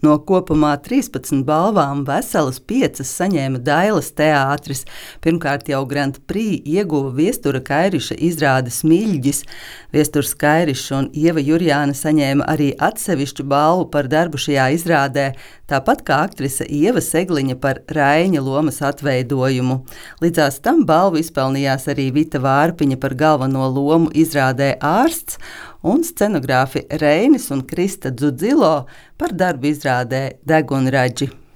No kopumā 13 balvām veselas 5 saņēma Dailas teātris. Pirmkārt jau Grand Prix ieguva Viestura Kairiša izrāde Smilģis. Viesturs Kairišs un Ieva Jurjāna saņēma arī atsevišķu balvu par darbu šajā izrādē, tāpat kā aktrise Ieva Segliņa par Raiņa lomas atveidojumu. Līdzās tam balvu izpelnījās arī Vita Vārpiņa par galveno lomu izrādē Ārsts un scenogrāfi Reinis un Krista Dzudzilo par darbu izrādē Degunraģi.